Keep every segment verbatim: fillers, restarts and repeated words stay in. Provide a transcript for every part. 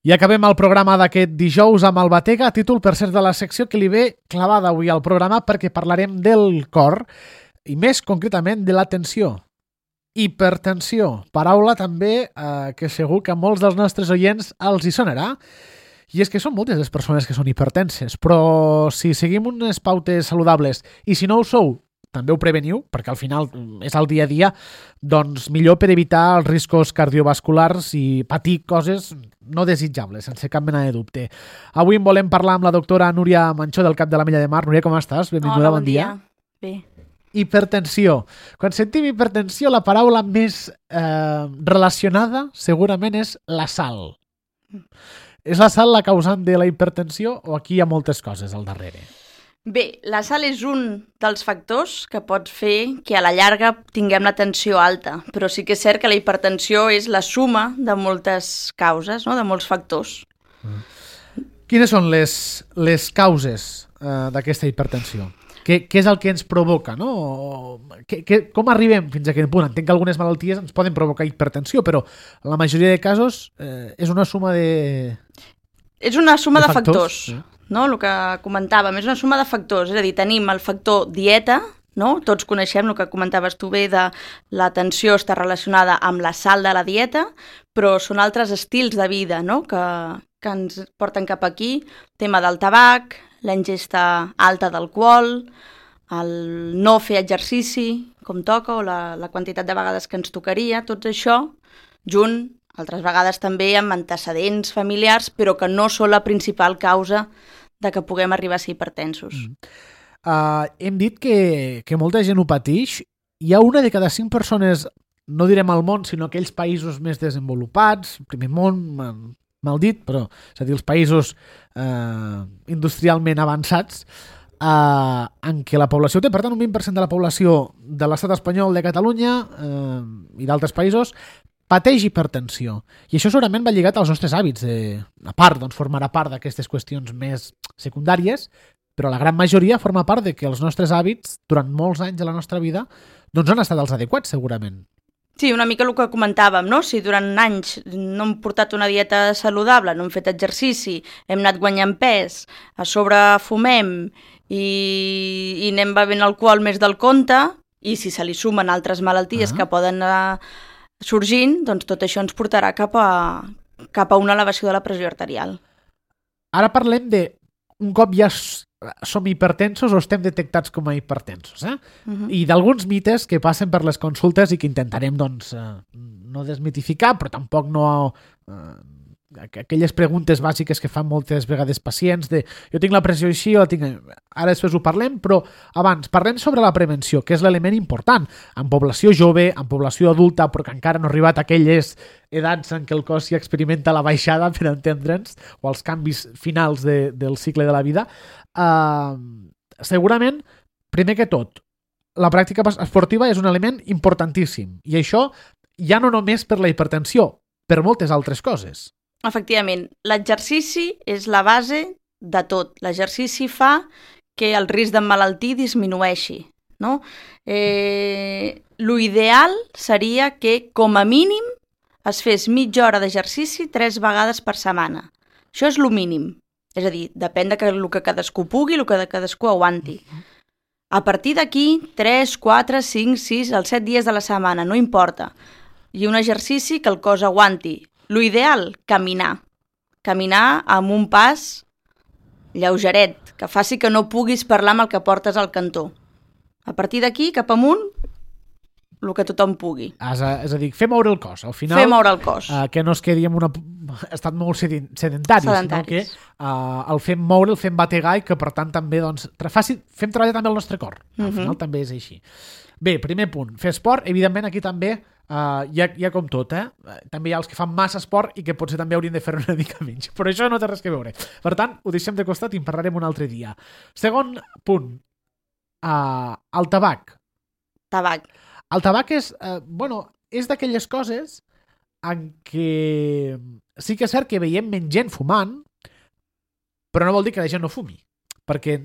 I acabem el programa d'aquest dijous amb el Batega, títol per cert de la secció que li ve clavada avui al programa perquè parlarem del cor i més concretament de la tensió. Hipertensió, paraula també eh, que segur que a molts dels nostres oients els hi sonarà. I és que són moltes les persones que són hipertenses, però si seguim unes pautes saludables i si no ho sou, també ho preveniu, perquè al final és el dia a dia, doncs millor per evitar els riscos cardiovasculars i patir coses no desitjables, sense cap mena de dubte. Avui en volem parlar amb la doctora Núria Manchó del Cap de l'Ametlla de Mar. Núria, com estàs? Benvinguda, Hola, bon, bon dia. dia. Bé. Hipertensió. Quan sentim hipertensió, la paraula més eh, relacionada segurament és la sal. És la sal la causant de la hipertensió o aquí hi ha moltes coses al darrere? Bé, la sal és un dels factors que pot fer que a la llarga tinguem la tensió alta, però sí que és cert que la hipertensió és la suma de moltes causes, no? De molts factors. Mm. Quines són les, les causes eh, d'aquesta hipertensió? Què, què és el que ens provoca, no? Que, que, com arribem fins a aquest punt? Entenc que algunes malalties ens poden provocar hipertensió, però en la majoria de casos eh, és una suma de... És una suma de, de factors, factors sí. No? El que comentàvem, és una suma de factors, és a dir, tenim el factor dieta, no? Tots coneixem el que comentaves tu bé de la tensió està relacionada amb la sal de la dieta, però són altres estils de vida, no? que, que ens porten cap aquí, tema del tabac, la ingesta alta d'alcohol, el no fer exercici com toca o la, la quantitat de vegades que ens tocaria, tot això junt, altres vegades també amb antecedents familiars, però que no són la principal causa de que puguem arribar a ser hipertensos. Mm. Uh, hem dit que, que molta gent ho pateix. Hi ha una de cada cinc persones, no direm al món, sinó aquells països més desenvolupats, primer món, mal dit, però és a dir, els països uh, industrialment avançats, uh, en què la població té, per tant, un vint per cent de la població de l'estat espanyol, de Catalunya uh, i d'altres països, pateix hipertensió. I això segurament va lligat als nostres hàbits. De, a part, doncs, formarà part d'aquestes qüestions més secundàries, però la gran majoria forma part de que els nostres hàbits, durant molts anys de la nostra vida, doncs han estat els adequats, segurament. Sí, una mica el que comentàvem, no? Si durant anys no hem portat una dieta saludable, no hem fet exercici, hem anat guanyant pes, a sobre fumem i, i anem bevent alcohol més del compte, i si se li sumen altres malalties ah. que poden anar sorgint, doncs tot això ens portarà cap a, cap a una elevació de la pressió arterial. Ara parlem de un cop ja som hipertensos o estem detectats com a hipertensos, eh? Uh-huh. I d'alguns mites que passen per les consultes i que intentarem, doncs, eh, no desmitificar, però tampoc no... Eh, aquelles preguntes bàsiques que fan moltes vegades pacients de jo tinc la pressió així o la tinc... Ara després ho parlem, però abans parlem sobre la prevenció, que és l'element important en població jove, en població adulta, però que encara no ha arribat a aquelles edats en què el cos ja experimenta la baixada, per entendre'ns, o els canvis finals de, del cicle de la vida. Uh, segurament, primer que tot, la pràctica esportiva és un element importantíssim, i això ja no només per la hipertensió, per moltes altres coses. Efectivament, l'exercici és la base de tot. L'exercici fa que el risc d'emmalaltir disminueixi, no? Eh, lo ideal seria que, com a mínim, es fes mitja hora d'exercici tres vegades per setmana. Això és lo mínim. És a dir, depèn de que, el que cadascú pugui, el que cadascú aguanti. A partir d'aquí, tres, quatre, cinc, sis, els set dies de la setmana, no importa. I un exercici que el cos aguanti. Lo ideal, caminar. Caminar amb un pas lleugeret, que faci que no puguis parlar amb el que portes al cantó. A partir d'aquí, cap amunt, el que tothom pugui. És a, és a dir, fer moure el cos. Al final, fer moure el cos. Uh, que no es quedi en un estat molt sedentari, sinó que uh, el fem moure, el fem bategar i que, per tant, també doncs, faci, fem treballar també el nostre cor. Al uh-huh. final també és així. Bé, primer punt, fer esport. Evidentment, aquí també Uh, hi, ha, hi ha com tot, eh? També hi ha els que fan massa esport i que potser també haurien de fer una mica menys. Però això no té res que veure. Per tant, ho deixem de costat i en parlarem un altre dia. Segon punt, uh, el tabac. Tabac. El tabac és, uh, bueno, és d'aquelles coses en què sí que és cert que veiem menys gent fumant, però no vol dir que la gent no fumi. Perquè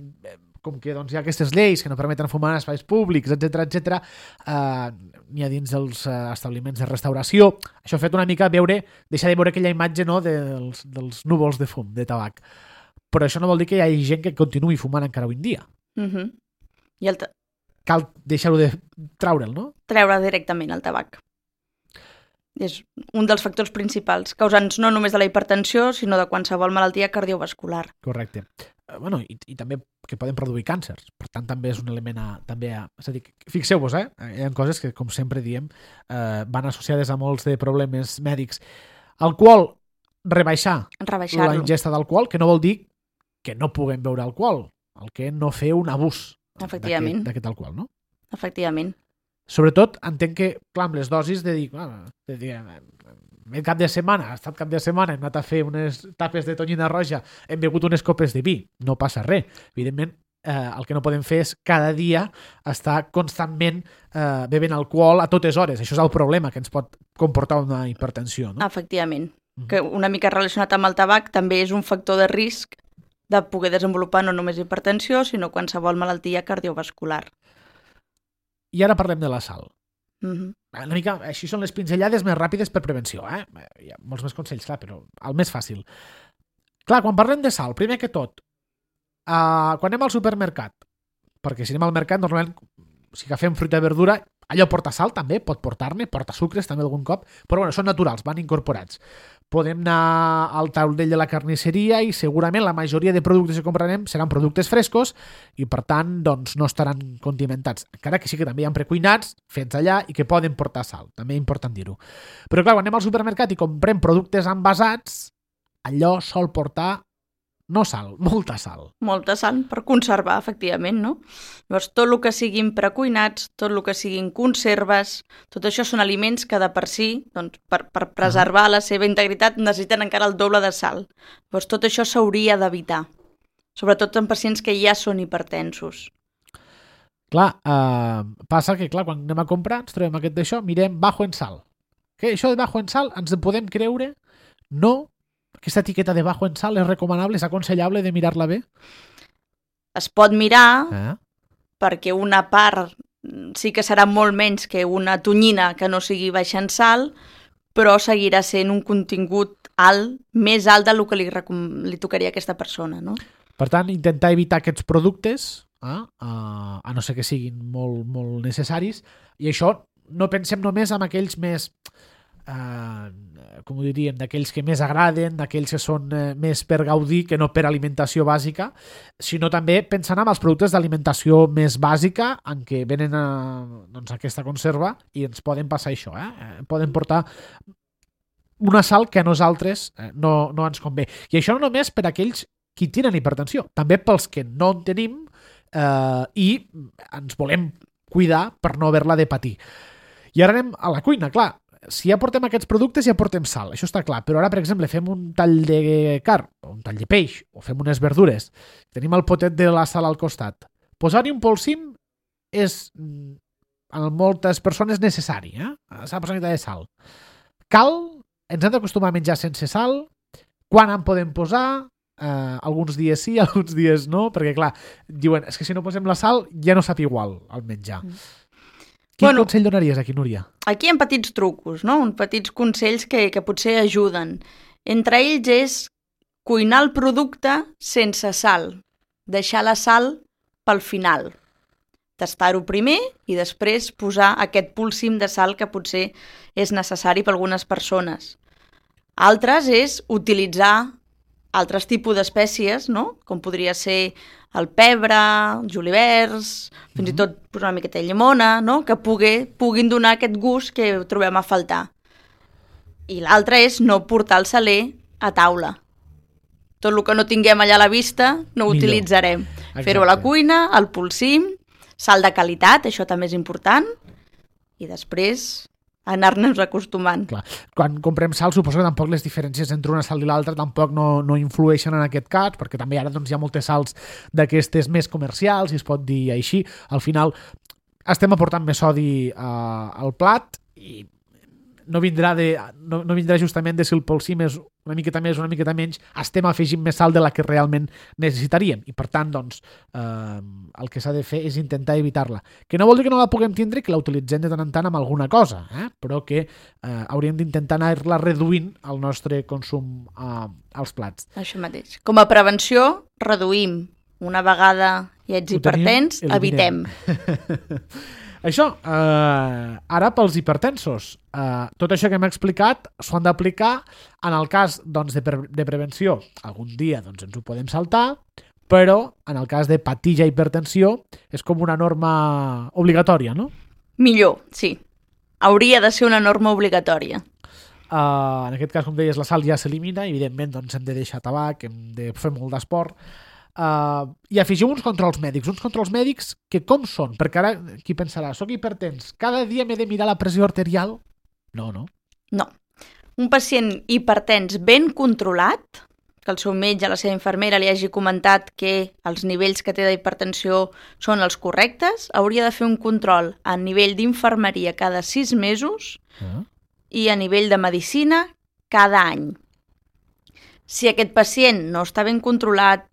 com que doncs, hi ha aquestes lleis que no permeten fumar en espais públics, etcètera, etcètera, eh, n'hi ha dins dels eh, establiments de restauració. Això ha fet una mica veure, deixar de veure aquella imatge, no, dels, dels núvols de fum, de tabac. Però això no vol dir que hi hagi gent que continuï fumant encara avui en dia. Uh-huh. I el ta... Cal deixar-ho de traure'l, no? Treure directament el tabac. És un dels factors principals, causants no només de la hipertensió, sinó de qualsevol malaltia cardiovascular. Correcte. Eh, bueno, i, i també que poden produir càncers. Per tant, també és un element a... També a és a dir, fixeu-vos, eh? Hi ha coses que, com sempre diem, eh, van associades a molts de problemes mèdics. Alcohol, rebaixar la ingesta d'alcohol, que no vol dir que no puguem beure alcohol, el que no fer un abús d'aquest alcohol, no? Efectivament. Sobretot, entenc que, clar, amb les dosis de dir, ah, de dir eh, cap de setmana, ha estat cap de setmana, hem anat a fer unes tapes de tonyina roja, hem begut unes copes de vi, no passa res. Evidentment, eh, el que no podem fer és cada dia estar constantment eh, bevent alcohol a totes hores. Això és el problema que ens pot comportar una hipertensió, no? Efectivament. Mm-hmm. Que una mica relacionat amb el tabac també és un factor de risc de poder desenvolupar no només hipertensió, sinó qualsevol malaltia cardiovascular. I ara parlem de la sal. Mm-hmm. Una mica, així són les pinzellades més ràpides per prevenció, eh? Hi ha molts més consells, clar, però el més fàcil. Clar, quan parlem de sal, primer que tot, uh, quan anem al supermercat, perquè si anem al mercat, normalment, si agafem fruita i verdura, allò porta sal també, pot portar-ne, porta sucres també algun cop, però bueno, són naturals, van incorporats. Podem anar al taulell de la carnisseria i segurament la majoria de productes que comprarem seran productes frescos i per tant doncs, no estaran condimentats. Encara que sí que també hi ha precuinats fets allà i que poden portar sal, també és important dir-ho. Però clar, quan anem al supermercat i comprem productes envasats, allò sol portar no sal, molta sal. Molta sal per conservar, efectivament, no? Llavors, tot el que siguin precuinats, tot el que siguin conserves, tot això són aliments que de per si, doncs, per, per preservar la seva integritat, necessiten encara el doble de sal. Llavors, tot això s'hauria d'evitar, sobretot en pacients que ja són hipertensos. Clar, eh, passa que clar, quan anem a comprar ens trobem aquest d'això, mirem bajo en sal. Que això de bajo en sal ens en podem creure? No. Aquesta etiqueta de bajo en sal és recomanable, és aconsellable de mirar-la bé? Es pot mirar, eh? perquè una part sí que serà molt menys que una tonyina que no sigui baixa en sal, però seguirà sent un contingut alt, més alt del que li, li tocaria a aquesta persona, no? Per tant, intentar evitar aquests productes, eh? uh, a no ser que siguin molt, molt necessaris, i això no pensem només en aquells més... Uh, com ho diríem, d'aquells que més agraden, d'aquells que són uh, més per gaudir que no per alimentació bàsica, sinó també pensant en els productes d'alimentació més bàsica en què venen a, doncs, aquesta conserva i ens poden passar això, eh? Poden portar una sal que a nosaltres eh, no, no ens convé. I això no només per aquells qui tenen hipertensió, també pels que no en tenim eh, i ens volem cuidar per no haver-la de patir. I ara anem a la cuina, clar. Si ja portem aquests productes, ja portem sal, això està clar. Però ara, per exemple, fem un tall de carn, o un tall de peix, o fem unes verdures, tenim el potet de la sal al costat. Posar-hi un polsim és, en moltes persones, necessari, eh? S'ha de posar una mica de sal. Cal, ens hem d'acostumar a menjar sense sal, quan en podem posar, eh, alguns dies sí, alguns dies no, perquè, clar, diuen, és que si no posem la sal ja no sap igual el menjar. Mm. Quin bueno, consell donaries aquí, Núria? Aquí hi ha petits trucos, no? Un petits consells que, que potser ajuden. Entre ells és cuinar el producte sense sal. Deixar la sal pel final. Tastar-ho primer i després posar aquest polsim de sal que potser és necessari per a algunes persones. Altres és utilitzar altres tipus d'espècies, no? Com podria ser el pebre, els julivers, fins mm-hmm. i tot posar una miqueta de llimona, no? Que pugui, puguin donar aquest gust que trobem a faltar. I l'altre és no portar el saler a taula. Tot el que no tinguem allà a la vista no ho utilitzarem. Fer-ho a la cuina, al polsim, sal de qualitat, això també és important, i després anar-nos acostumant. Clar. Quan comprem sal, suposo que tampoc les diferències entre una sal i l'altra tampoc no, no influeixen en aquest cas, perquè també ara doncs, hi ha moltes sals d'aquestes més comercials, si es pot dir així. Al final estem aportant més sodi uh, al plat i no vindrà, de, no, no vindrà justament de si el polsim és una miqueta més, una miqueta menys, estem afegint més sal de la que realment necessitaríem. I per tant, doncs, eh, el que s'ha de fer és intentar evitar-la. Que no vol dir que no la puguem tindre, que la utilitzem de tant en tant amb alguna cosa, eh? Però que eh, hauríem d'intentar anar-la reduint el nostre consum eh, als plats. Això mateix. Com a prevenció, reduïm. Una vegada ja ets hipertens, evitem. Això, eh, ara pels hipertensos. Eh, tot això que hem explicat s'ho han d'aplicar en el cas doncs, de, pre de prevenció. Algun dia doncs, ens ho podem saltar, però en el cas de patir ja hipertensió és com una norma obligatòria, no? Millor, sí. Hauria de ser una norma obligatòria. Uh, en aquest cas, com deies, la sal ja s'elimina, evidentment doncs, hem de deixar tabac, hem de fer molt d'esport. Uh, I afegiu uns controls mèdics, uns controls mèdics que com són? Perquè ara qui pensarà, soc hipertens, cada dia m'he de mirar la pressió arterial? No, no. No. Un pacient hipertens ben controlat, que el seu metge, la seva infermera li hagi comentat que els nivells que té d'hipertensió són els correctes, hauria de fer un control a nivell d'infermeria cada sis mesos uh-huh. i a nivell de medicina cada any. Si aquest pacient no està ben controlat,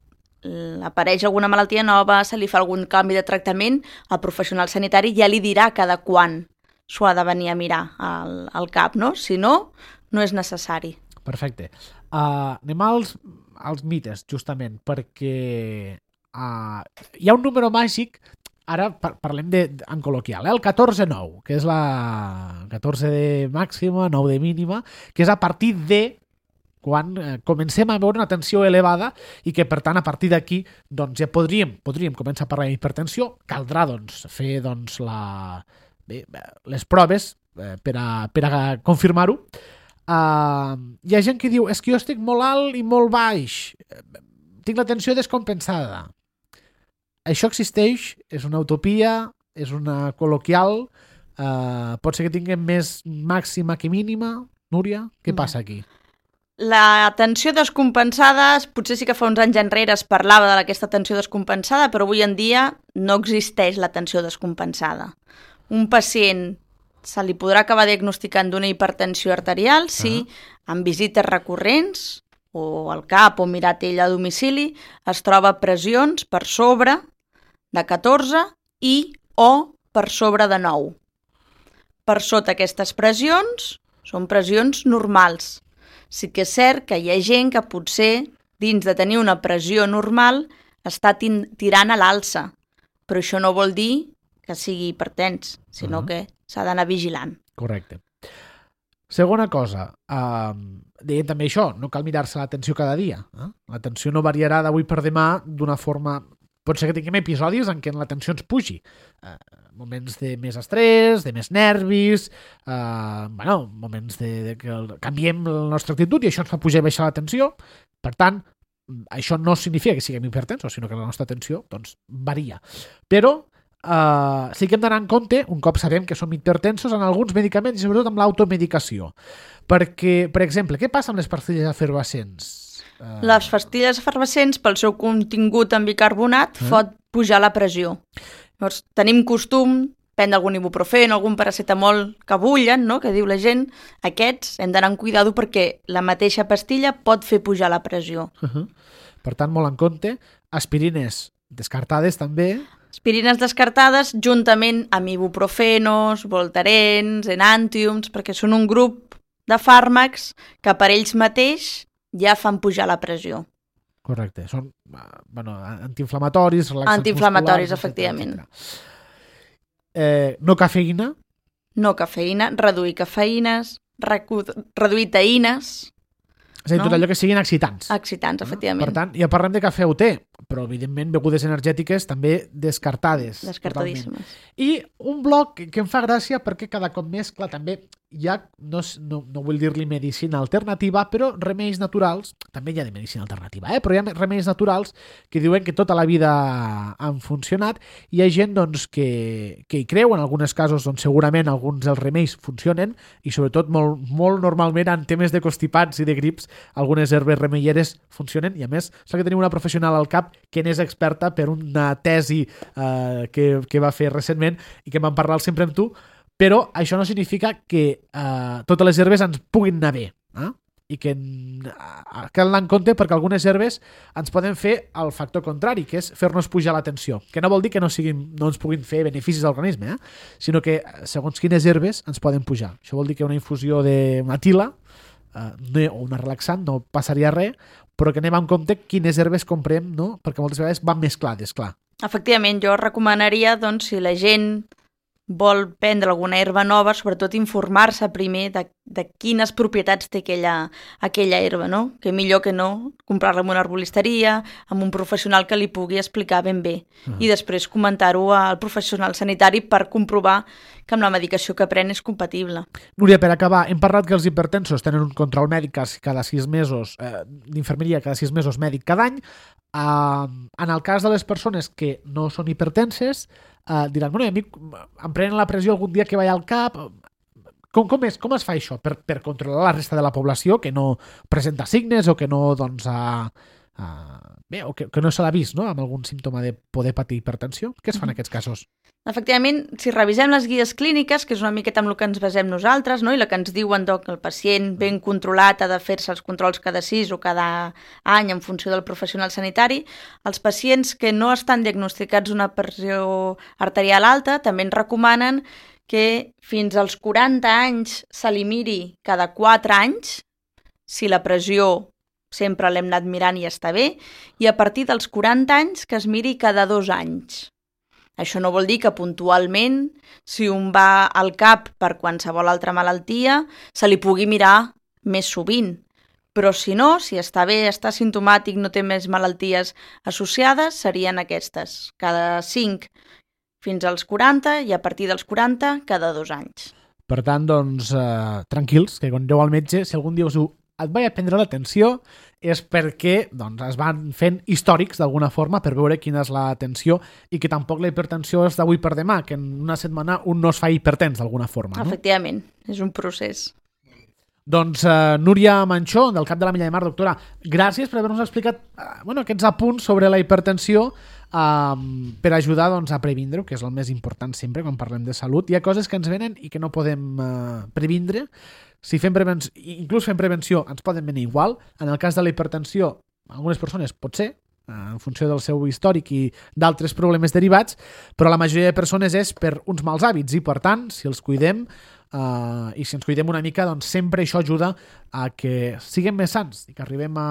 apareix alguna malaltia nova, se li fa algun canvi de tractament, el professional sanitari ja li dirà cada quan s'ho ha de venir a mirar al, al cap, no? Si no, no és necessari. Perfecte. Uh, anem als, als mites, justament, perquè uh, hi ha un número màgic, ara par parlem de, en col·loquial, eh? El catorze nou, que és la catorze de màxima, nou de mínima, que és a partir de quan eh, comencem a veure una tensió elevada i que, per tant, a partir d'aquí doncs, ja podríem, podríem començar a parlar d'hipertensió. Caldrà doncs, fer doncs, la... Bé, les proves eh, per a, per a confirmar-ho. Uh, hi ha gent que diu és que jo estic molt alt i molt baix, tinc la tensió descompensada. Això existeix, és una utopia, és una col·loquial, uh, pot ser que tinguem més màxima que mínima. Núria, què No. passa aquí? La tensió descompensada, potser sí que fa uns anys enrere es parlava d'aquesta tensió descompensada, però avui en dia no existeix la tensió descompensada. Un pacient se li podrà acabar diagnosticant d'una hipertensió arterial si Ah. en visites recurrents o al cap o mirat ell a domicili es troba pressions per sobre de catorze i o per sobre de nou. Per sota aquestes pressions són pressions normals. Sí que és cert que hi ha gent que potser, dins de tenir una pressió normal, està tirant a l'alça, però això no vol dir que sigui hipertens, sinó Uh-huh. que s'ha d'anar vigilant. Correcte. Segona cosa, eh, deien també això, no cal mirar-se la tensió cada dia. Eh? La tensió no variarà d'avui per demà d'una forma... Pot ser que tinguem episodis en què la tensió ens pugi. Eh, moments de més estrès, de més nervis, eh, bueno, moments de, de que el, canviem la nostra actitud i això ens fa pujar i baixar la tensió. Per tant, això no significa que siguem hipertensos, sinó que la nostra tensió doncs, varia. Però Uh, sí que hem d'anar en compte, un cop sabem que som hipertensos, en alguns medicaments i sobretot amb l'automedicació. Perquè, per exemple, què passa amb les pastilles efervescents? Uh... Les pastilles efervescents, pel seu contingut en bicarbonat, Eh? pot pujar la pressió. Llavors, tenim costum prendre algun ibuprofèn, algun paracetamol que bullen, no? Que diu la gent, aquests hem d'anar amb cuidado perquè la mateixa pastilla pot fer pujar la pressió. Uh-huh. Per tant, molt en compte. Aspirines descartades també. Aspirines descartades juntament amb ibuprofenos, voltarens, enantiums, perquè són un grup de fàrmacs que per ells mateix ja fan pujar la pressió. Correcte. Són bueno, antiinflamatoris, relaxants Antiinflamatoris, musculars, efectivament. etcètera. Eh, no cafeïna. No cafeïna, reduir cafeïnes, recu- reduir taïnes, És a dir, No? tot allò que siguin excitants. excitants, efectivament. Per tant, ja parlem de cafè o té, però evidentment begudes energètiques també descartades. Descartadíssimes. Totalment. I un bloc que em fa gràcia perquè cada cop més, clar, també hi ha, no, no, no vull dir-li medicina alternativa, però remeis naturals, també hi ha de medicina alternativa, eh? Però hi ha remeis naturals que diuen que tota la vida han funcionat. Hi ha gent doncs, que, que hi creu, en alguns casos doncs, segurament alguns dels remeis funcionen i sobretot molt, molt normalment en temes de constipats i de grips algunes herbes remeieres funcionen i a més sembla que tenim una professional al cap que n'és experta per una tesi eh, que, que va fer recentment i que vam parlar sempre amb tu Però això no significa que eh, totes les herbes ens puguin anar bé, eh? I que eh, cal anar en compte perquè algunes herbes ens poden fer el factor contrari, que és fer-nos pujar la tensió, que no vol dir que no, siguin, no ens puguin fer beneficis a l'organisme, eh? Sinó que segons quines herbes ens poden pujar. Això vol dir que una infusió de matila eh, o una relaxant no passaria res, però que anem amb compte quines herbes comprem, no? Perquè moltes vegades van mesclades, clar. Efectivament, jo recomanaria, doncs, si la gent vol prendre alguna herba nova, sobretot informar-se primer de, de quines propietats té aquella, aquella herba, no? Que millor que no comprar-la en una arbolisteria, amb un professional que li pugui explicar ben bé. Uh-huh. I després comentar-ho al professional sanitari per comprovar que amb la medicació que pren és compatible. Núria, per acabar, hem parlat que els hipertensos tenen un control mèdic cada sis mesos, eh, d'infermeria cada sis mesos, mèdic cada any. Uh, en el cas de les persones que no són hipertenses, uh, diran, bueno, a mi em prenen la pressió algun dia que vaig al cap. Com, com, és, com es fa això per, per controlar la resta de la població que no presenta signes o que no, doncs, uh, uh, bé, o que, que no se l'ha vist, no?, amb algun símptoma de poder patir hipertensió? Què es fa en aquests casos? Efectivament, si revisem les guies clíniques, que és una miqueta amb el que ens basem nosaltres, no? I la que ens diuen doncs, que el pacient ben controlat ha de fer-se els controls cada sis o cada any en funció del professional sanitari, els pacients que no estan diagnosticats una pressió arterial alta també ens recomanen que fins als quaranta anys se li miri cada quatre anys si la pressió sempre l'hem anat mirant i està bé, i a partir dels quaranta anys que es miri cada dos anys. Això no vol dir que puntualment, si un va al cap per qualsevol altra malaltia, se li pugui mirar més sovint. Però si no, si està bé, està simptomàtic, no té més malalties associades, serien aquestes. Cada cinc fins als quaranta i a partir dels quaranta cada dos anys. Per tant, doncs, eh, tranquils, que quan aneu al metge, si algun dia us ho et vaig a prendre l'atenció, és perquè doncs, es van fent històrics d'alguna forma per veure quina és la tensió i que tampoc la hipertensió és d'avui per demà, que en una setmana un no es fa hipertens d'alguna forma. No? Efectivament, és un procés. Doncs uh, Núria Manchó, del Cap de la Milla de Mar, doctora, gràcies per haver-nos explicat uh, bueno, aquests apunts sobre la hipertensió uh, per ajudar doncs, a previndre, que és el més important sempre quan parlem de salut. Hi ha coses que ens venen i que no podem uh, previndre. Si fem prevenció, inclús fem prevenció, ens poden venir igual. En el cas de la hipertensió, algunes persones pot ser, en funció del seu històric i d'altres problemes derivats, però la majoria de persones és per uns mals hàbits i, per tant, si els cuidem uh, i si ens cuidem una mica, doncs sempre això ajuda a que siguem més sants i que arribem a,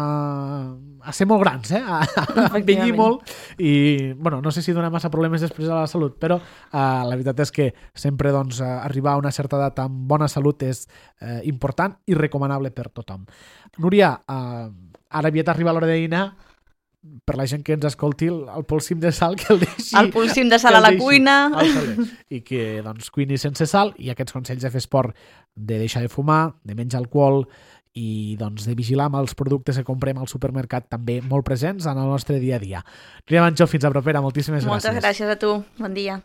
a ser molt grans, eh? a, a envellir molt i, bueno, no sé si dona massa problemes després a la salut, però uh, la veritat és que sempre doncs, arribar a una certa edat amb bona salut és uh, important i recomanable per tothom. Núria, uh, ara aviat arriba l'hora de dinar. Per la gent que ens escolti, el, el polsim de sal que el deixi... El polsim de sal a la cuina. I que doncs, cuini sense sal, i aquests consells de fer esport, de deixar de fumar, de menjar alcohol i doncs, de vigilar amb els productes que comprem al supermercat també molt presents en el nostre dia a dia. Núria Manchó, fins a propera. Moltíssimes gràcies. Moltes gràcies a tu. Bon dia.